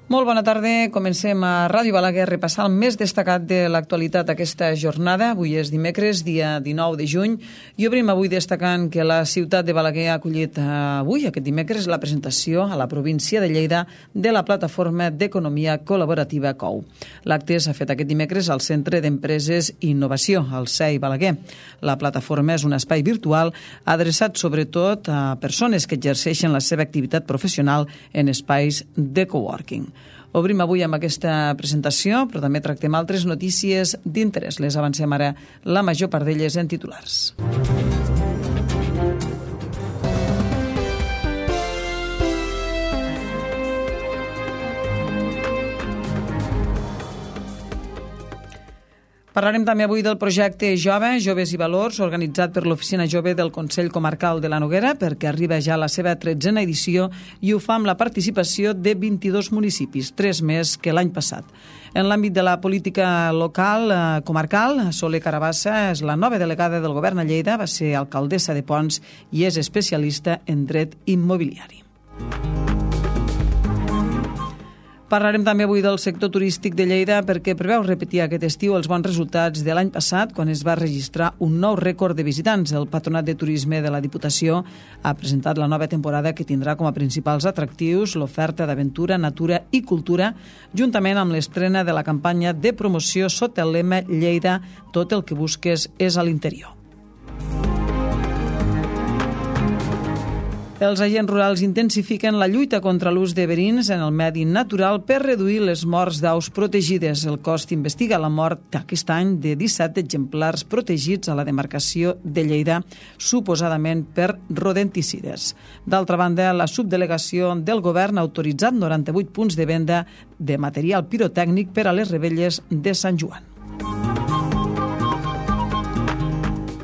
Molt bona tarda. Comencem a Ràdio Balaguer a repassar el més destacat de l'actualitat aquesta jornada. Avui és dimecres, dia 19 de juny, i obrim avui destacant que la ciutat de Balaguer ha acollit avui, aquest dimecres, la presentació a la província de Lleida de la plataforma d'economia col·laborativa COU. L'acte s'ha fet aquest dimecres al Centre d'Empreses i Innovació, al CEI Balaguer. La plataforma és un espai virtual adreçat sobretot a persones que exerceixen la seva activitat professional en espais de coworking. Obrim avui amb aquesta presentació, però també tractem altres notícies d'interès. Les avancem ara, la major part d'elles en titulars. Parlarem també avui del projecte Jove, Joves i Valors, organitzat per l'Oficina Jove del Consell Comarcal de la Noguera, perquè arriba ja a la seva 13a edició i ho fa amb la participació de 22 municipis, 3 més que l'any passat. En l'àmbit de la política local, comarcal, Soler Carabassa és la nova delegada del Govern a Lleida, va ser alcaldessa de Ponts i és especialista en dret immobiliari. Parlarem també avui del sector turístic de Lleida perquè preveu repetir aquest estiu els bons resultats de l'any passat quan es va registrar un nou rècord de visitants. El Patronat de Turisme de la Diputació ha presentat la nova temporada que tindrà com a principals atractius l'oferta d'aventura, natura i cultura, juntament amb l'estrena de la campanya de promoció sota el lema Lleida, tot el que busques és a l'interior. Els agents rurals intensifiquen la lluita contra l'ús de verins en el medi natural per reduir les morts d'aus protegides. El cos investiga la mort aquest any de 17 exemplars protegits a la demarcació de Lleida, suposadament per rodenticides. D'altra banda, la subdelegació del govern ha autoritzat 98 punts de venda de material pirotècnic per a les revetlles de Sant Joan.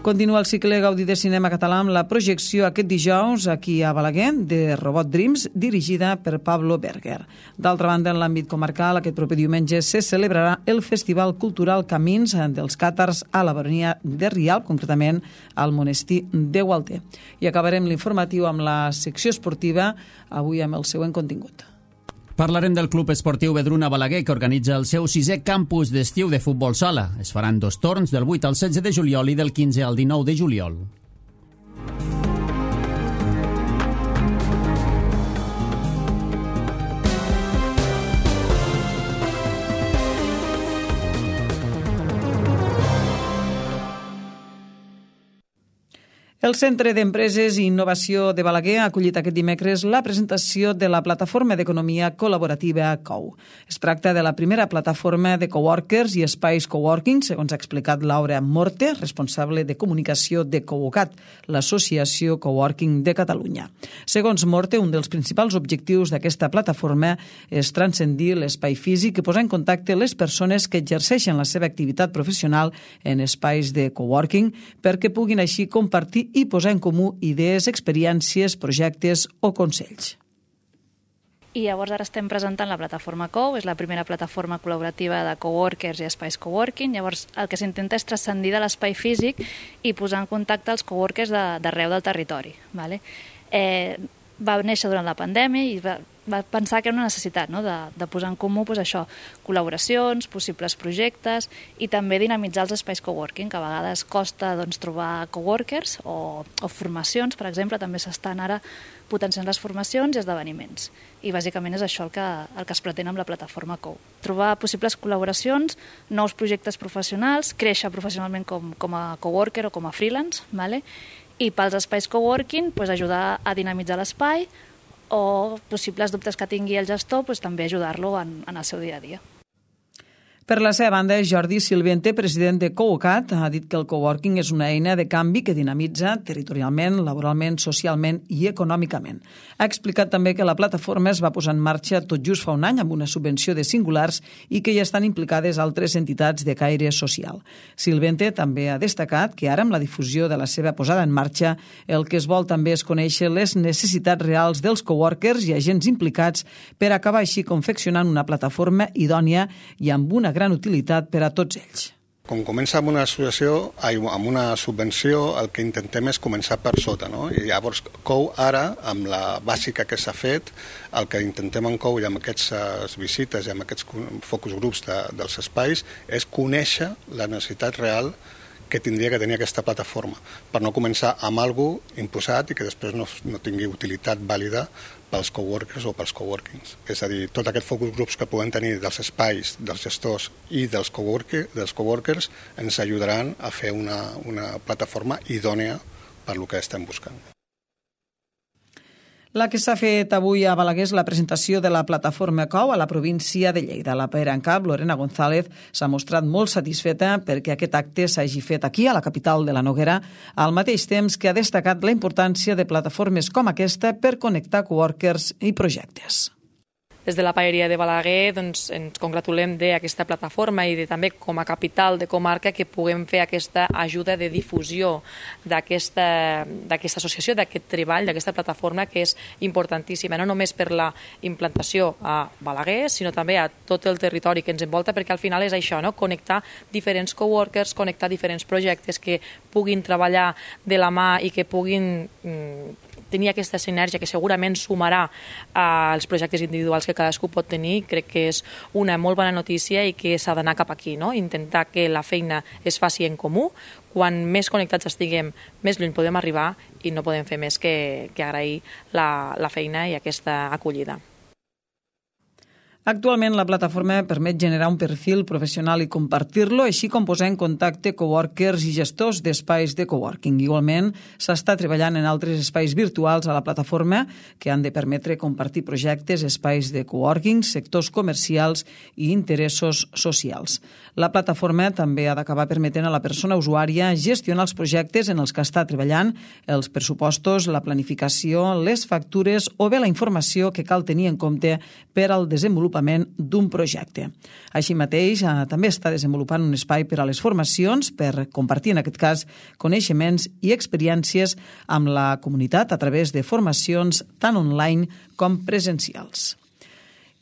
Continua el cicle Gaudí de Cinema Català amb la projecció aquest dijous aquí a Balaguer de Robot Dreams, dirigida per Pablo Berger. D'altra banda, en l'àmbit comarcal, aquest proper diumenge se celebrarà el Festival Cultural Camins dels Càtars a la Baronia de Rialb, concretament al monestir de Gualter. I acabarem l'informatiu amb la secció esportiva, avui amb el següent contingut. Parlarem del Club Esportiu Vedruna Balaguer, que organitza el seu 6è campus d'estiu de futbol sala. Es faran 2 torns, del 8 al 16 de juliol i del 15 al 19 de juliol. El Centre d'Empreses i Innovació de Balaguer ha acollit aquest dimecres la presentació de la plataforma d'economia col·laborativa COU. Es tracta de la primera plataforma de coworkers i espais coworking, segons ha explicat Laura Morte, responsable de comunicació de Cowocat, l'associació Coworking de Catalunya. Segons Morte, un dels principals objectius d'aquesta plataforma és transcendir l'espai físic i posar en contacte les persones que exerceixen la seva activitat professional en espais de coworking perquè puguin així compartir i posar en comú idees, experiències, projectes o consells. I llavors ara estem presentant la plataforma COU, és la primera plataforma col·laborativa de coworkers i espais coworking. Llavors el que s'intenta és transcendir de l'espai físic i posar en contacte els coworkers d'arreu del territori. Vale? Va néixer durant la pandèmia i va pensar que era una necessitat, no? de posar en comú això, col·laboracions, possibles projectes i també dinamitzar els espais coworking, que a vegades costa trobar coworkers o formacions, per exemple, també s'estan ara potenciant les formacions i esdeveniments. I bàsicament és això el que es pretén amb la plataforma COU. Trobar possibles col·laboracions, nous projectes professionals, créixer professionalment com a coworker o com a freelance, vale? I pels espais coworking ajudar a dinamitzar l'espai o possibles dubtes que tingui el gestor també ajudar-lo en el seu dia a dia. Per la seva banda, Jordi Silvente, president de Cowocat, ha dit que el coworking és una eina de canvi que dinamitza territorialment, laboralment, socialment i econòmicament. Ha explicat també que la plataforma es va posar en marxa tot just fa un any amb una subvenció de singulars i que hi estan implicades altres entitats de caire social. Silvente també ha destacat que ara, amb la difusió de la seva posada en marxa, el que es vol també és conèixer les necessitats reals dels coworkers i agents implicats per acabar així confeccionant una plataforma idònia i amb una gran utilitat per a tots ells. Quan comença amb una associació, amb una subvenció, el que intentem és començar per sota, no? I llavors COU ara, amb la bàsica que s'ha fet, el que intentem en COU i amb aquestes visites i amb aquests focus grups dels espais és conèixer la necessitat real que tindria que tenir aquesta plataforma, per no començar amb alguna cosa imposat i que després no tingui utilitat vàlida pels coworkers o pels coworkings. És a dir, tot aquest focus groups que puguem tenir dels espais, dels gestors i dels coworkers ens ajudaran a fer una plataforma idònea per lo que estem buscant. La que s'ha fet avui a Balaguer és la presentació de la plataforma COU a la província de Lleida. La pera en cap, Lorena González, s'ha mostrat molt satisfeta perquè aquest acte s'hagi fet aquí, a la capital de la Noguera, al mateix temps que ha destacat la importància de plataformes com aquesta per connectar coworkers i projectes. Des de la Paeria de Balaguer ens congratulem d'aquesta plataforma i també com a capital de comarca que puguem fer aquesta ajuda de difusió d'aquesta associació, d'aquest treball, d'aquesta plataforma que és importantíssima, no només per la implantació a Balaguer, sinó també a tot el territori que ens envolta, perquè al final és això, no? Connectar diferents coworkers, connectar diferents projectes que puguin treballar de la mà i que puguin tenir aquesta sinergia que segurament sumarà als projectes individuals que cadascú pot tenir. Crec que és una molt bona notícia i que s'ha d'anar cap aquí, no? Intentar que la feina es faci en comú. Quan més connectats estiguem, més lluny podem arribar i no podem fer més que agrair la feina i aquesta acollida. Actualment, la plataforma permet generar un perfil professional i compartir-lo, així com posar en contacte coworkers i gestors d'espais de coworking. Igualment, s'està treballant en altres espais virtuals a la plataforma que han de permetre compartir projectes, espais de coworking, sectors comercials i interessos socials. La plataforma també ha d'acabar permetent a la persona usuària gestionar els projectes en els que està treballant, els pressupostos, la planificació, les factures o bé la informació que cal tenir en compte per al desenvolupament d'un projecte. Així mateix, també està desenvolupant un espai per a les formacions per compartir, en aquest cas, coneixements i experiències amb la comunitat a través de formacions tant online com presencials.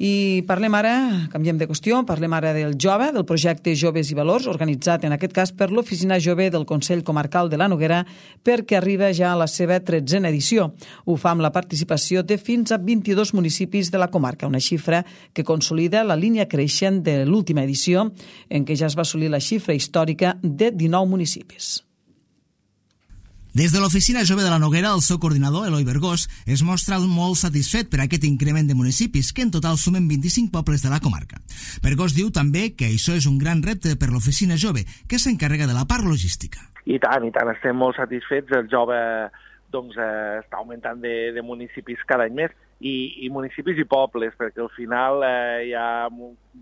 I parlem ara, canviem de qüestió, parlem ara del jove, del projecte Joves i Valors, organitzat en aquest cas per l'Oficina Jove del Consell Comarcal de la Noguera, perquè arriba ja a la seva 13a edició. Ho fa amb la participació de fins a 22 municipis de la comarca, una xifra que consolida la línia creixent de l'última edició, en què ja es va assolir la xifra històrica de 19 municipis. Des de l'Oficina Jove de la Noguera, el seu coordinador, Eloi Bergós, es mostra molt satisfet per aquest increment de municipis, que en total sumen 25 pobles de la comarca. Bergós diu també que això és un gran repte per l'Oficina Jove, que s'encarrega de la part logística. I tant, estem molt satisfets. El jove està augmentant de municipis cada any més, i municipis i pobles, perquè al final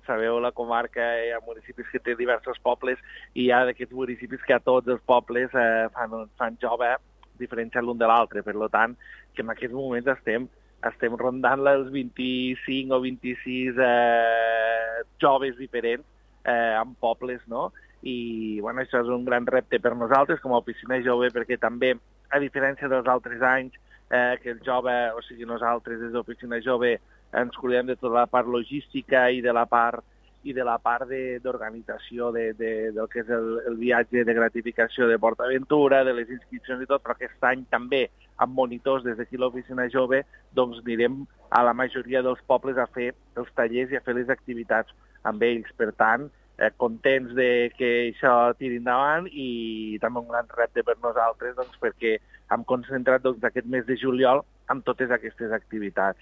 sabeu, la comarca hi ha municipis que té diversos pobles i hi ha d'aquests municipis que a tots els pobles fan jove diferenciat l'un de l'altre. Per tant, que en aquests moments estem rondant els 25 o 26 joves diferents en pobles, no? I això és un gran repte per nosaltres com a oficina jove, perquè també, a diferència dels altres anys, que el jove, o sigui, nosaltres des d'Oficina Jove ens cuidem de tota la part logística i de la part d'organització del que és el viatge de gratificació de PortAventura, de les inscripcions i tot, però aquest any també amb monitors des d'aquí l'Oficina Jove anirem a la majoria dels pobles a fer els tallers i a fer les activitats amb ells. Per tant, contents de que això tiri endavant i també un gran repte per nosaltres perquè hem concentrat aquest mes de juliol amb totes aquestes activitats.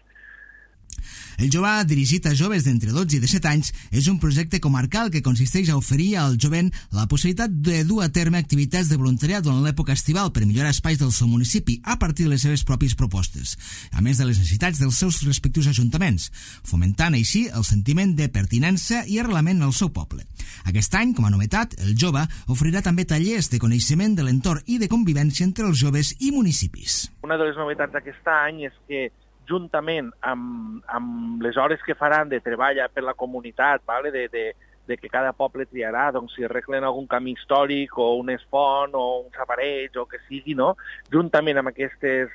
El Jove, dirigit a joves d'entre 12 i 17 anys, és un projecte comarcal que consisteix a oferir al jovent la possibilitat de dur a terme activitats de voluntariat durant l'època estival per millorar espais del seu municipi a partir de les seves pròpies propostes, a més de les necessitats dels seus respectius ajuntaments, fomentant així el sentiment de pertinença i arrelament al seu poble. Aquest any, com a novetat, el Jove oferirà també tallers de coneixement de l'entorn i de convivència entre els joves i municipis. Una de les novetats d'aquest any és que juntament amb les hores que faran de treball per la comunitat, de que cada poble triarà, si arreglen algun camí històric o un font o uns aparells o que sigui, no? Juntament amb aquestes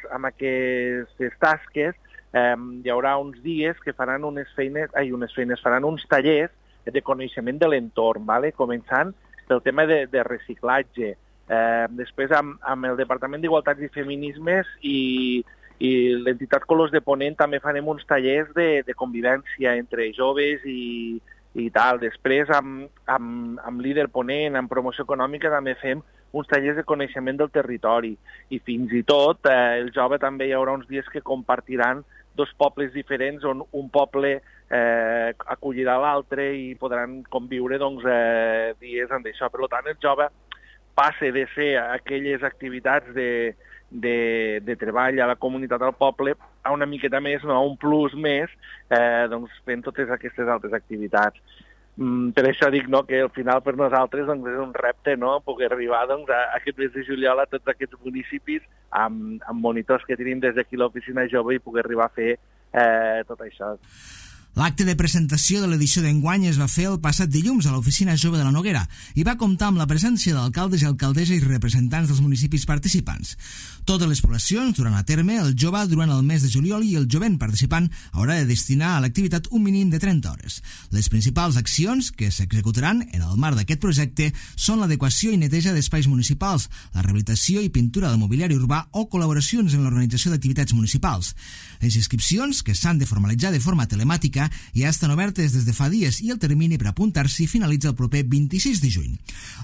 tasques hi haurà uns dies que faran faran uns tallers de coneixement de l'entorn, començant pel tema de reciclatge. Després, amb el Departament d'Igualtats i Feminismes i l'entitat Colors de Ponent també farem uns tallers de convivència entre joves i tal. Després, amb Líder Ponent, amb promoció econòmica, també fem uns tallers de coneixement del territori. I fins i tot, el jove també hi haurà uns dies que compartiran dos pobles diferents on un poble acollirà l'altre i podran conviure dies amb això. Per tant, el jove passa de ser aquelles activitats de treball a la comunitat del poble a una miqueta més, a un plus més, fent totes aquestes altres activitats. Per això dic que al final per nosaltres és un repte poder arribar a aquest mes de juliol a tots aquests municipis amb monitors que tenim des d'aquí l'oficina jove i poder arribar a fer tot això. L'acte de presentació de l'edició d'enguany es va fer el passat dilluns a l'Oficina Jove de la Noguera i va comptar amb la presència d'alcaldes i alcaldesses i representants dels municipis participants. Totes les poblacions duran a terme el jove durant el mes de juliol i el jovent participant haurà de destinar a l'activitat un mínim de 30 hores. Les principals accions que s'executaran en el marc d'aquest projecte són l'adequació i neteja d'espais municipals, la rehabilitació i pintura del mobiliari urbà o col·laboracions en l'organització d'activitats municipals. Les inscripcions, que s'han de formalitzar de forma telemàtica, ja estan obertes des de fa dies i el termini per apuntar-s'hi finalitza el proper 26 de juny.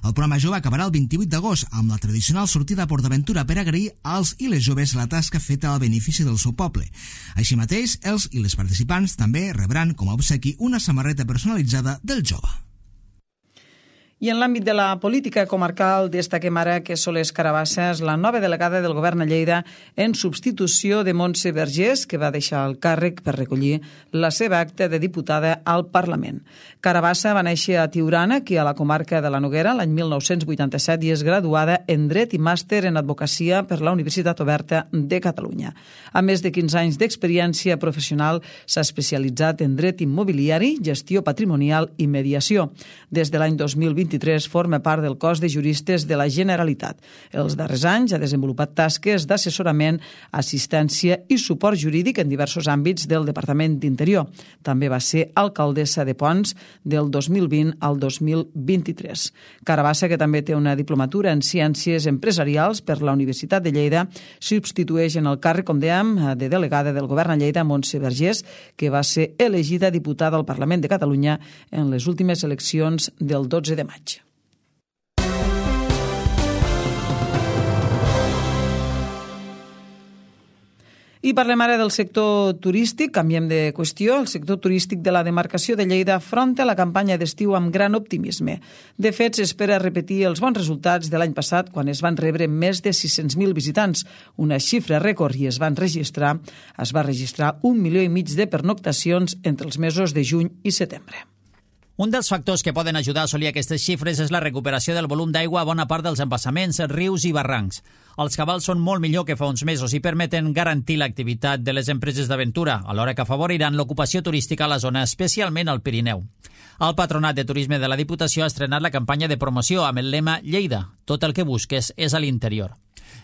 El programa jove acabarà el 28 d'agost amb la tradicional sortida a PortAventura per agrair als i les joves la tasca feta al benefici del seu poble. Així mateix, els i les participants també rebran com a obsequi una samarreta personalitzada del jove. I en l'àmbit de la política comarcal destaquem ara que Soles Carabassa és la nova delegada del govern a Lleida en substitució de Montse Vergés, que va deixar el càrrec per recollir la seva acta de diputada al Parlament. Carabassa va néixer a Tiurana, aquí a la comarca de la Noguera, l'any 1987, i és graduada en Dret i Màster en Advocacia per la Universitat Oberta de Catalunya. A més de 15 anys d'experiència professional, s'ha especialitzat en dret immobiliari, gestió patrimonial i mediació. Des de l'any 2023 forma part del cos de juristes de la Generalitat. Els darrers anys ha desenvolupat tasques d'assessorament, assistència i suport jurídic en diversos àmbits del Departament d'Interior. També va ser alcaldessa de Ponts del 2020 al 2023. Carabassa, que també té una diplomatura en Ciències Empresarials per la Universitat de Lleida, substitueix en el càrrec, com dèiem, de delegada del govern a Lleida, Montse Vergés, que va ser elegida diputada al Parlament de Catalunya en les últimes eleccions del 12 de maig. I parlem ara del sector turístic, canviem de qüestió. El sector turístic de la demarcació de Lleida afronta la campanya d'estiu amb gran optimisme. De fet, s'espera repetir els bons resultats de l'any passat, quan es van rebre més de 600.000 visitants, una xifra rècord, i es va registrar 1,5 milió de pernoctacions entre els mesos de juny i setembre. Un dels factors que poden ajudar a assolir aquestes xifres és la recuperació del volum d'aigua a bona part dels embassaments, rius i barrancs. Els cabals són molt millor que fa uns mesos i permeten garantir l'activitat de les empreses d'aventura, alhora que afavoriran l'ocupació turística a la zona, especialment al Pirineu. El Patronat de Turisme de la Diputació ha estrenat la campanya de promoció amb el lema Lleida, tot el que busques és a l'interior.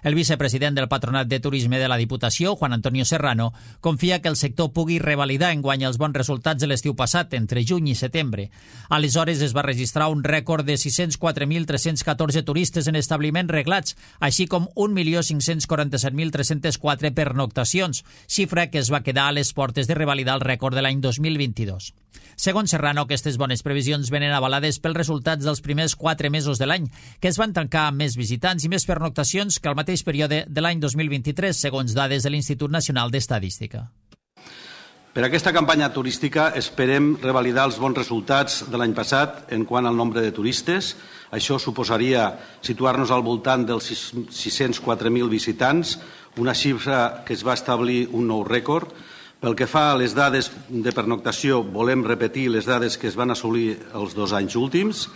El vicepresident del Patronat de Turisme de la Diputació, Juan Antonio Serrano, confia que el sector pugui revalidar enguany els bons resultats de l'estiu passat, entre juny i setembre. Aleshores es va registrar un rècord de 604.314 turistes en establiments reglats, així com 1.547.304 pernoctacions, xifra que es va quedar a les portes de revalidar el rècord de l'any 2022. Segons Serrano, aquestes bones previsions venen avalades pels resultats dels primers 4 mesos de l'any, que es van tancar amb més visitants i més pernoctacions que al mateix període de l'any 2023, segons dades de l'Institut Nacional d'Estadística. Per aquesta campanya turística esperem revalidar els bons resultats de l'any passat en quant al nombre de turistes. Això suposaria situar-nos al voltant dels 604.000 visitants, una xifra que es va establir un nou rècord. Pel que fa a les dades de pernoctació, volem repetir les dades que es van assolir els 2 anys últims,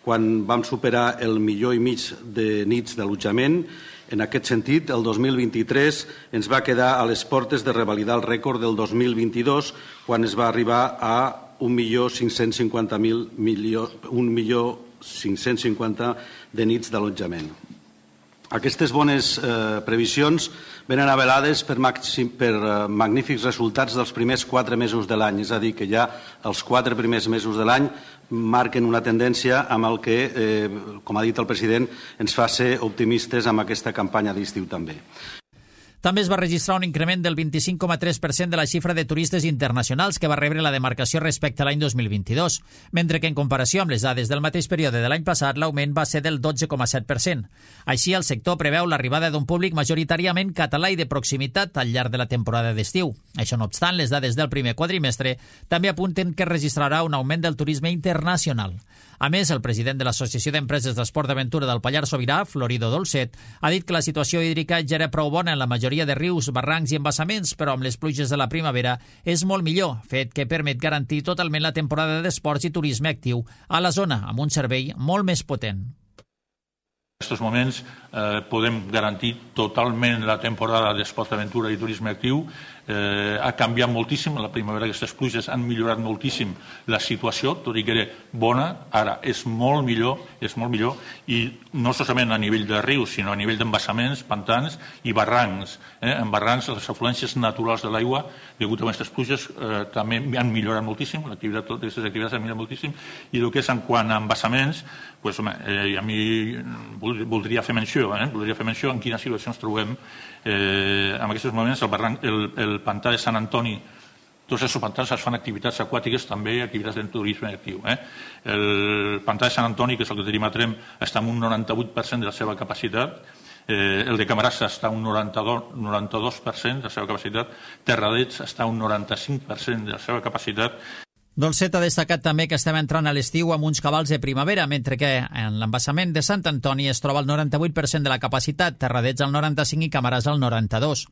quan vam superar el 1,5 milió de nits d'allotjament. En aquest sentit, el 2023 ens va quedar a les portes de revalidar el rècord del 2022, quan es va arribar a 1.550.000 de nits d'allotjament. Aquestes bones previsions venen avalades per magnífics resultats dels primers 4 mesos de l'any, és a dir, que ja els 4 primers mesos de l'any marquen una tendència amb el que, com ha dit el president, ens fa ser optimistes amb aquesta campanya d'estiu també. També es va registrar un increment del 25,3% de la xifra de turistes internacionals que va rebre la demarcació respecte a l'any 2022, mentre que en comparació amb les dades del mateix període de l'any passat l'augment va ser del 12,7%. Així, el sector preveu l'arribada d'un públic majoritàriament català i de proximitat al llarg de la temporada d'estiu. Això no obstant, les dades del primer quadrimestre també apunten que registrarà un augment del turisme internacional. A més, el president de l'Associació d'Empreses d'Esport d'Aventura del Pallars Sobirà, Florido Dolcet, ha dit que la situació hídrica ja era prou bona en la majoria de rius, barrancs i embassaments, però amb les pluges de la primavera és molt millor, fet que permet garantir totalment la temporada d'esports i turisme actiu a la zona, amb un servei molt més potent. En aquests moments podem garantir totalment la temporada d'esport d'aventura i turisme actiu. Ha canviat moltíssim, la primavera aquestes pluges han millorat moltíssim la situació, tot i que era bona, ara és molt millor, i no solament a nivell de rius, sinó a nivell d'embassaments, pantans i barrancs. En barrancs, les afluències naturals de l'aigua, degut a aquestes pluges, també han millorat moltíssim, aquestes activitats han millorat moltíssim, i el que és en quant a embassaments, a mi voldria fer menció en quina situació ens trobem en aquests moments. El pantà de Sant Antoni, tots els pantans es fan activitats aquàtiques, també activitats de turisme actiu. El pantà de Sant Antoni, que és el que tenim a Tremp, està en un 98% de la seva capacitat. El de Camarasa està a un 92% de la seva capacitat. Terradets està a un 95% de la seva capacitat. Dolcet ha destacat també que estem entrant a l'estiu amb uns cabals de primavera, mentre que en l'embassament de Sant Antoni es troba al 98% de la capacitat, Terradets al 95% i Camarasa al 92%.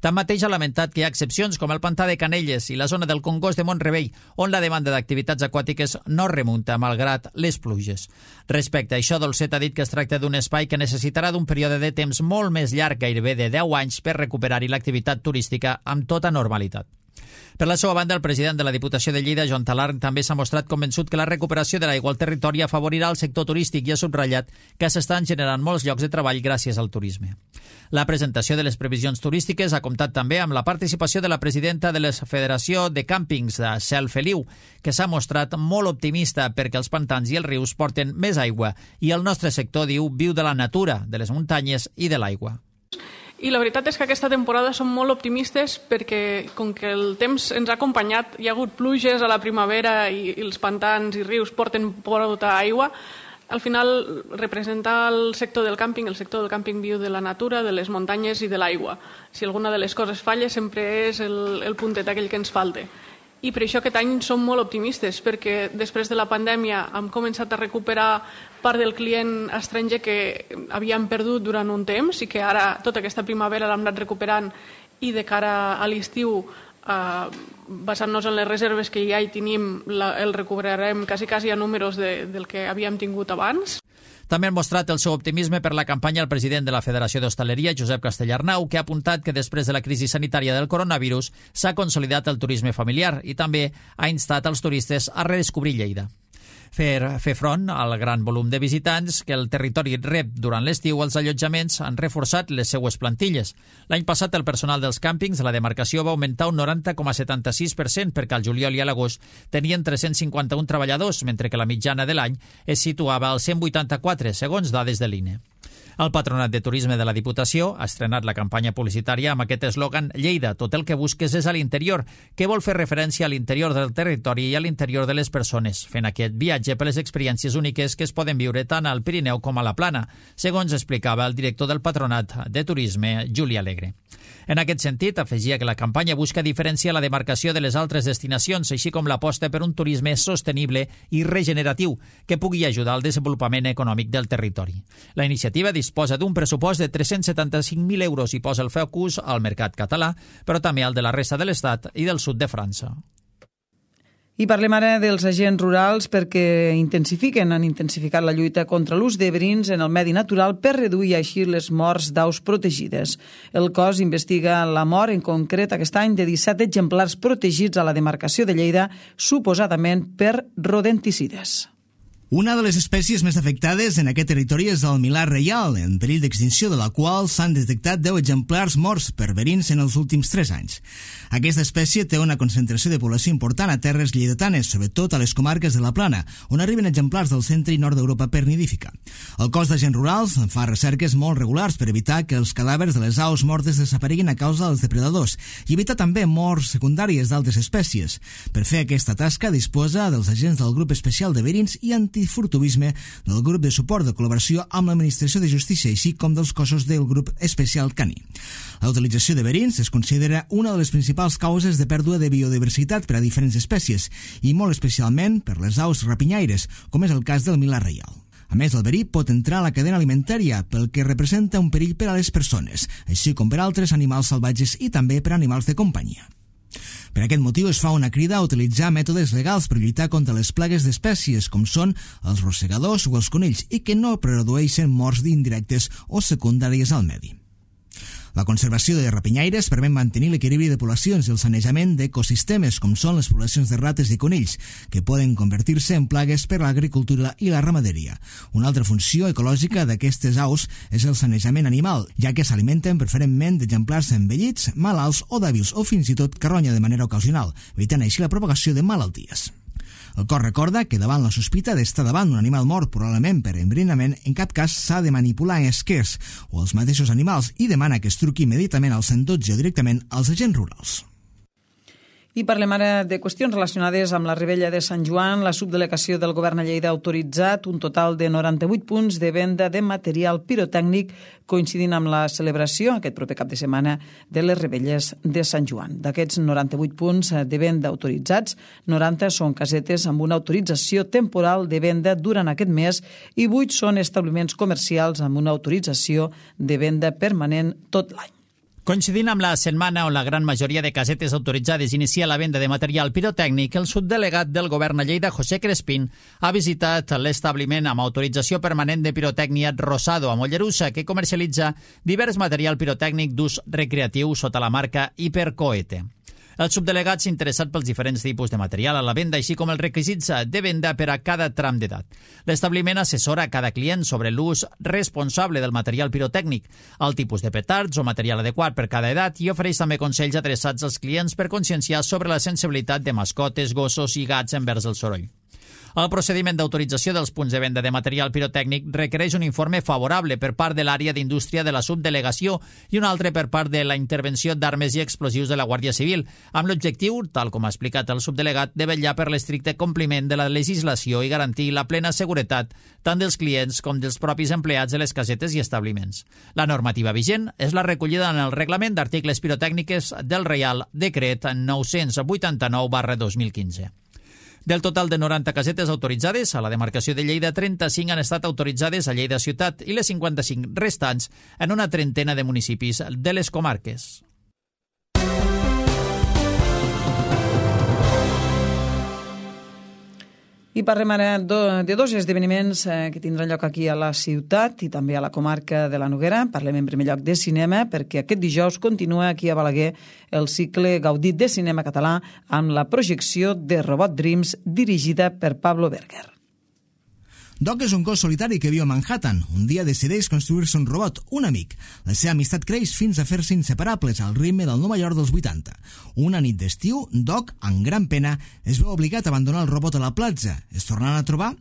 Tanmateix ha lamentat que hi ha excepcions com el pantà de Canelles i la zona del Congost de Mont-rebei, on la demanda d'activitats aquàtiques no remunta, malgrat les pluges. Respecte a això, Dolcet ha dit que es tracta d'un espai que necessitarà d'un període de temps molt més llarg, gairebé de 10 anys, per recuperar-hi l'activitat turística amb tota normalitat. Per la seva banda, el president de la Diputació de Lleida, Joan Talarn, també s'ha mostrat convençut que la recuperació de l'aigua al territori afavorirà el sector turístic i ha subratllat que s'estan generant molts llocs de treball gràcies al turisme. La presentació de les previsions turístiques ha comptat també amb la participació de la presidenta de la Federació de Càmpings de Cel Feliu, que s'ha mostrat molt optimista perquè els pantans i els rius porten més aigua i el nostre sector, diu, viu de la natura, de les muntanyes i de l'aigua. I la veritat és que aquesta temporada som molt optimistes perquè, com que el temps ens ha acompanyat, hi ha hagut pluges a la primavera i els pantans i rius porten molta aigua, al final representa el sector del càmping viu de la natura, de les muntanyes i de l'aigua. Si alguna de les coses falla, sempre és el puntet aquell que ens falta. I per això aquest any som molt optimistes, perquè després de la pandèmia hem començat a recuperar part del client estranger que havíem perdut durant un temps i que ara tota aquesta primavera l'hem anat recuperant, i de cara a l'estiu, basant-nos en les reserves que ja hi tenim, el recuperarem quasi a números del que havíem tingut abans. També han mostrat el seu optimisme per la campanya el president de la Federació d'Hostaleria, Josep Castellarnau, que ha apuntat que després de la crisi sanitària del coronavirus s'ha consolidat el turisme familiar i també ha instat els turistes a redescobrir Lleida. Fer front al gran volum de visitants que el territori rep durant l'estiu, els allotjaments han reforçat les seues plantilles. L'any passat el personal dels càmpings de la demarcació va augmentar un 90,76% perquè al juliol i a l'agost tenien 351 treballadors, mentre que la mitjana de l'any es situava als 184, segons dades de l'INE. El Patronat de Turisme de la Diputació ha estrenat la campanya publicitària amb aquest eslògan «Lleida, tot el que busques és a l'interior», que vol fer referència a l'interior del territori i a l'interior de les persones, fent aquest viatge per les experiències úniques que es poden viure tant al Pirineu com a la Plana, segons explicava el director del Patronat de Turisme, Juli Alegre. En aquest sentit, afegia que la campanya busca diferenciar la demarcació de les altres destinacions, així com l'aposta per un turisme sostenible i regeneratiu que pugui ajudar al desenvolupament econòmic del territori. La iniciativa disposa d'un pressupost de 375.000 euros i posa el focus al mercat català, però també al de la resta de l'Estat i del sud de França. I parlem ara dels agents rurals perquè han intensificat la lluita contra l'ús de verins en el medi natural per reduir així les morts d'aus protegides. El cos investiga la mort, en concret aquest any, de 17 exemplars protegits a la demarcació de Lleida, suposadament per rodenticides. Una de les espècies més afectades en aquest territori és el milà reial, en perill d'extinció, de la qual s'han detectat 10 exemplars morts per verins en els últims 3 anys. Aquesta espècie té una concentració de població important a terres lleidatanes, sobretot a les comarques de la Plana, on arriben exemplars del centre i nord d'Europa per nidífica. El cos d'agents rurals fa recerques molt regulars per evitar que els cadàvers de les aus mortes desapareguin a causa dels depredadors i evitar també morts secundàries d'altres espècies. Per fer aquesta tasca disposa dels agents del grup especial de verins i antifurtuvisme del grup de suport de col·laboració amb l'Administració de Justícia, així com dels cossos del grup especial caní. La utilització de verins es considera una de les principals causes de pèrdua de biodiversitat per a diferents espècies i molt especialment per les aus rapinyaires, com és el cas del milà reial. A més, el verí pot entrar a la cadena alimentària, pel que representa un perill per a les persones, així com per a altres animals salvatges i també per a animals de companyia. Per aquest motiu es fa una crida a utilitzar mètodes legals per lluitar contra les plagues d'espècies com són els rosegadors o els conills i que no produeixen morts indirectes o secundàries al medi. La conservació de rapinyaires permet mantenir l'equilibri de poblacions i el sanejament d'ecosistemes com són les poblacions de rates i conills, que poden convertir-se en plagues per a l'agricultura i la ramaderia. Una altra funció ecològica d'aquestes aus és el sanejament animal, ja que s'alimenten preferentment d'exemplars envellits, malalts o dèbils o fins i tot carronya de manera ocasional, evitant així la propagació de malalties. El cos recorda que davant la sospita d'estar davant d'un animal mort, probablement per enverinament, en cap cas s'ha de manipular esquers o els mateixos animals i demana que es truqui immediatament al 112 o directament als agents rurals. I parlem ara de qüestions relacionades amb la Revetlla de Sant Joan. La subdelegació del Govern a Lleida ha autoritzat un total de 98 punts de venda de material pirotècnic coincidint amb la celebració aquest proper cap de setmana de les Revelles de Sant Joan. D'aquests 98 punts de venda autoritzats, 90 són casetes amb una autorització temporal de venda durant aquest mes i 8 són establiments comercials amb una autorització de venda permanent tot l'any. Coincidint amb la setmana on la gran majoria de casetes autoritzades inicia la venda de material pirotècnic, el subdelegat del Govern a Lleida, José Crespín, ha visitat l'establiment amb autorització permanent de pirotècnia Rosado a Mollerussa, que comercialitza divers material pirotècnic d'ús recreatiu sota la marca Hipercoete. El subdelegat s'ha interessat pels diferents tipus de material a la venda, així com els requisits de venda per a cada tram d'edat. L'establiment assessora a cada client sobre l'ús responsable del material pirotècnic, el tipus de petards o material adequat per cada edat i ofereix també consells adreçats als clients per conscienciar sobre la sensibilitat de mascotes, gossos i gats envers el soroll. El procediment d'autorització dels punts de venda de material pirotècnic requereix un informe favorable per part de l'àrea d'indústria de la subdelegació i un altre per part de la intervenció d'armes i explosius de la Guàrdia Civil, amb l'objectiu, tal com ha explicat el subdelegat, de vetllar per l'estricte compliment de la legislació i garantir la plena seguretat tant dels clients com dels propis empleats de les casetes i establiments. La normativa vigent és la recollida en el Reglament d'Articles Pirotècniques del Reial Decret 989/2015. Del total de 90 casetes autoritzades, a la demarcació de Lleida, 35 han estat autoritzades a Lleida ciutat i les 55 restants en una trentena de municipis de les comarques. I parlem ara de dos esdeveniments que tindran lloc aquí a la ciutat i també a la comarca de la Noguera. Parlem en primer lloc de cinema, perquè aquest dijous continua aquí a Balaguer el cicle Gaudit de cinema català amb la projecció de Robot Dreams dirigida per Pablo Berger. Doc és un gos solitari que viu a Manhattan. Un dia decideix construir-se un robot, un amic. La seva amistat creix fins a fer-se inseparables al ritme del Nova York dels 80. Una nit d'estiu, Doc, amb gran pena, es veu obligat a abandonar el robot a la platja. Es tornaran a trobar?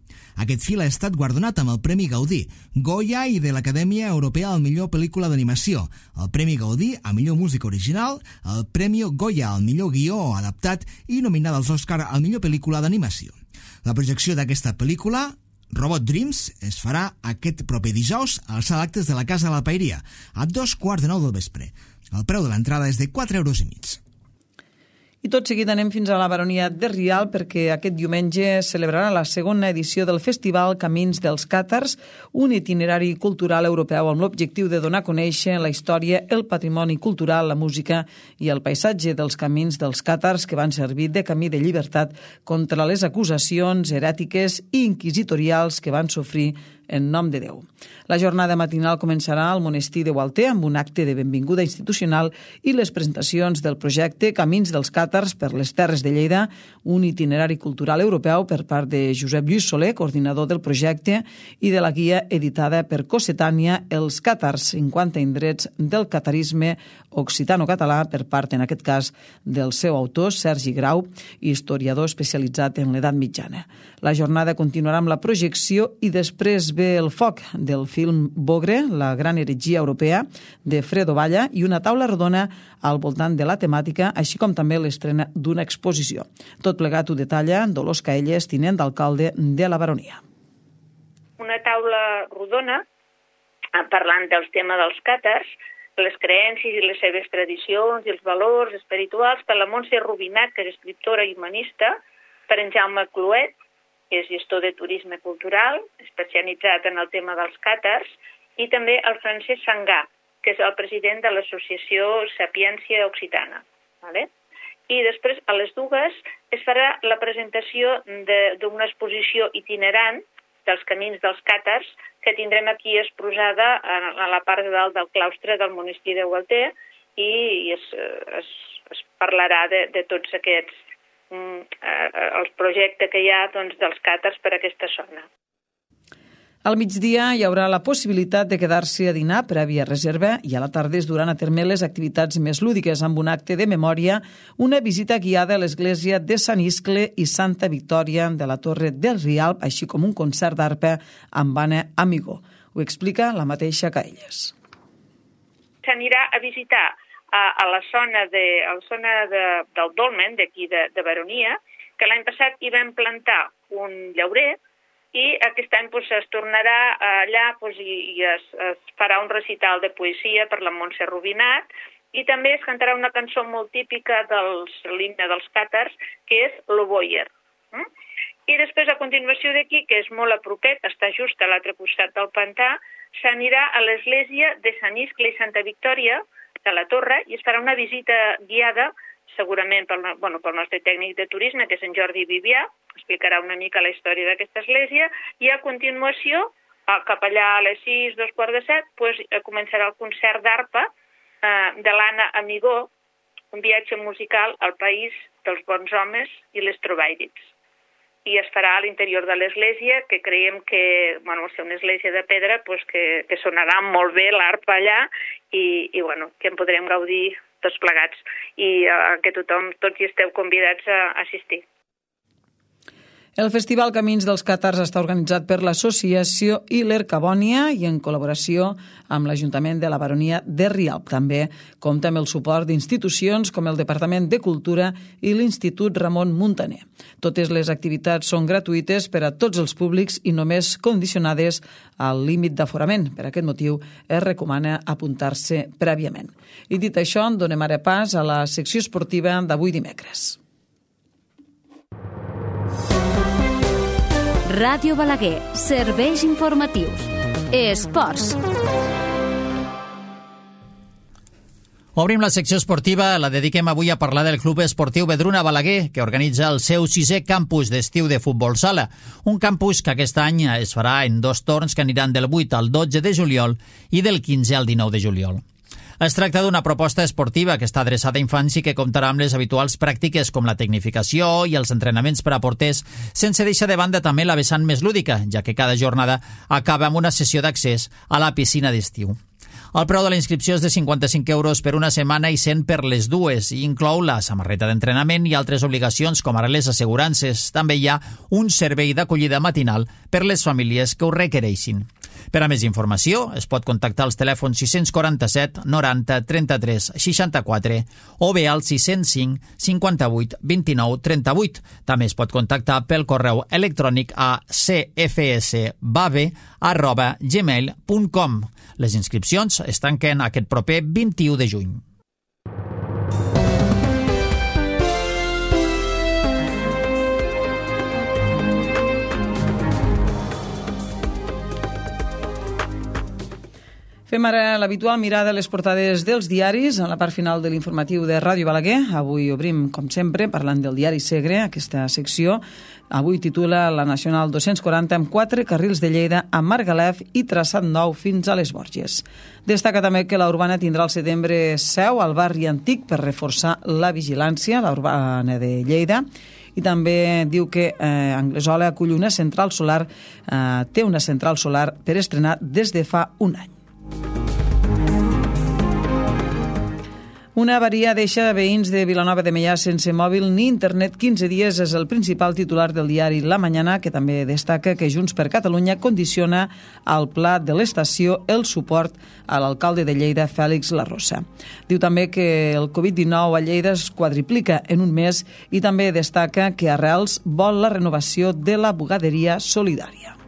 Aquest film ha estat guardonat amb el Premi Gaudí, Goya i de l'Acadèmia Europea al millor pel·lícula d'animació, el Premi Gaudí a millor música original, el Premi Goya al millor guió adaptat i nominada als Òscar al millor pel·lícula d'animació. La projecció d'aquesta pel·lícula, Robot Dreams, es farà aquest proper dijous a les sala d'actes de la Casa de la Paeria, a 2:15 del vespre. El preu de l'entrada és de 4,5 €. I tot seguit anem fins a la Baronia de Rialb perquè aquest diumenge celebrarà la segona edició del Festival Camins dels Càtars, un itinerari cultural europeu amb l'objectiu de donar a conèixer la història, el patrimoni cultural, la música i el paisatge dels camins dels càtars que van servir de camí de llibertat contra les acusacions herètiques i inquisitorials que van sofrir en nom de Déu. La jornada matinal començarà al monestir de Gualter amb un acte de benvinguda institucional i les presentacions del projecte Camins dels Càtars càtars per les Terres de Lleida, un itinerari cultural europeu per part de Josep Lluís Soler, coordinador del projecte, i de la guia editada per Cossetània, Els càtars, 50 indrets del catarisme occitano-català, per part, en aquest cas, del seu autor, Sergi Grau, historiador especialitzat en l'edat mitjana. La jornada continuarà amb la projecció i després ve el foc del film Bogre, la gran heretgia europea, de Fredo Valla, i una taula rodona al voltant de la temàtica, així com també l'estrena d'una exposició. Tot plegat ho detalla Dolors Caelles, tinent d'alcalde de la Baronia. Una taula rodona parlant del tema dels càtars, les creences i les seves tradicions i els valors espirituals per la Montse Rubinat, que és escriptora i humanista, per en Jaume Cluet, que és gestor de turisme cultural, especialitzat en el tema dels càtars, i també el Francesc Sangà, que és el president de l'associació Sapiència Occitana. I després, a les dues, es farà la presentació d'una exposició itinerant dels camins dels càtars, que tindrem aquí exposada a la part de dalt del claustre del monestir de Gualter, i es parlarà de tots aquests el projecte que hi ha dels càtars per aquesta zona. Al migdia hi haurà la possibilitat de quedar-se a dinar prèvia reserva i a la tarda es duran a terme les activitats més lúdiques amb un acte de memòria, una visita guiada a l'església de Sant Iscle i Santa Victòria de la Torre del Rialb, així com un concert d'arpa amb Anna Amigó. Ho explica la mateixa Caelles. S'anirà a visitar a la zona del Dolmen, d'aquí de Baronia, que l'any passat hi vam plantar un llaurer, i aquest any es tornarà allà i es farà un recital de poesia per la Montse Rubinat, i també es cantarà una cançó molt típica de l'himne dels càtars, que és l'Oboyer. I després, a continuació d'aquí, que és molt a propet, està just a l'altre costat del pantà, s'anirà a l'església de Sant Iscle i Santa Victòria de la Torre i es farà una visita guiada, segurament pel nostre tècnic de turisme, que és en Jordi Vivià, explicarà una mica la història d'aquesta església, i a continuació, cap allà a les 6, 6:45, començarà el concert d'arpa de l'Anna Amigó, un viatge musical al país dels bons homes i les trobaires. I es farà a l'interior de l'església, que creiem que, al ser una església de pedra, que sonarà molt bé l'arpa allà i que en podrem gaudir tots plegats, i que tots hi esteu convidats a assistir. El Festival Camins dels Càtars està organitzat per l'Associació Hiler Cabònia i en col·laboració amb l'Ajuntament de la Baronia de Rialb. També compta amb el suport d'institucions com el Departament de Cultura i l'Institut Ramon Muntaner. Totes les activitats són gratuïtes per a tots els públics i només condicionades al límit d'aforament. Per aquest motiu es recomana apuntar-se prèviament. I dit això, donem ara pas a la secció esportiva d'avui dimecres. Ràdio Balaguer, serveis informatius. Esports. Obrim la secció esportiva, la dediquem avui a parlar del Club Esportiu Vedruna Balaguer, que organitza el seu 6è campus d'estiu de futbol sala. Un campus que aquest any es farà en 2 torns que aniran del 8 al 12 de juliol i del 15 al 19 de juliol. Es tracta d'una proposta esportiva que està adreçada a infants i que comptarà amb les habituals pràctiques com la tecnificació i els entrenaments per a porters, sense deixar de banda també la vessant més lúdica, ja que cada jornada acaba amb una sessió d'accés a la piscina d'estiu. El preu de la inscripció és de 55 euros per una setmana i 100 per les dues, i inclou la samarreta d'entrenament i altres obligacions com ara les assegurances. També hi ha un servei d'acollida matinal per les famílies que ho requereixin. Per a més informació, es pot contactar als telèfons 647 90 33 64 o bé al 605 58 29 38. També es pot contactar pel correu electrònic a cfsbave@gmail.com. Les inscripcions es tanquen aquest proper 21 de juny. Fem Fem ara l'habitual mirada a les portades dels diaris en la part final de l'informatiu de Ràdio Balaguer. Avui obrim, com sempre, parlant del diari Segre, aquesta secció. Avui titula La Nacional 240 amb 4 carrils de Lleida a Margalef i traçat nou fins a les Borges. Destaca també que la Urbana tindrà al setembre seu al barri antic per reforçar la vigilància, la Urbana de Lleida. I també diu que Anglesola acull una central solar, té una central solar per estrenar des de fa un any. Una avaria deixa veïns de Vilanova de Meià sense mòbil ni internet 15 dies és el principal titular del diari La Mañana, que també destaca que Junts per Catalunya condiciona al pla de l'estació el suport a l'alcalde de Lleida, Fèlix Larrosa. Diu també que el Covid-19 a Lleida es quadriplica en un mes i també destaca que Arrels vol la renovació de la bugaderia solidària.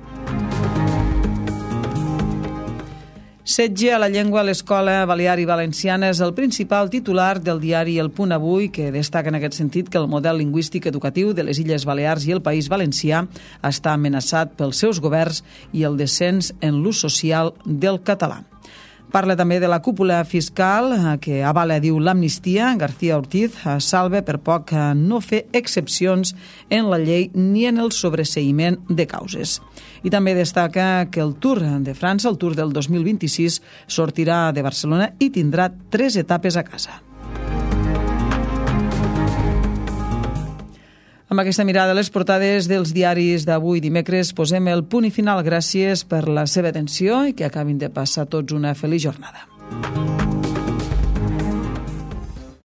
Setge a la llengua a l'escola balear i valenciana és el principal titular del diari El Punt Avui, que destaca en aquest sentit que el model lingüístic educatiu de les Illes Balears i el País Valencià està amenaçat pels seus governs i el descens en l'ús social del català. Parla també de la cúpula fiscal que avala, diu, l'amnistia. García Ortiz salva per poc no fer excepcions en la llei ni en el sobreseïment de causes. I també destaca que el Tour de França, el Tour del 2026, sortirà de Barcelona i tindrà 3 etapes a casa. Amb aquesta mirada a les portades dels diaris d'avui dimecres posem el punt i final. Gràcies per la seva atenció i que acabin de passar tots una feliç jornada.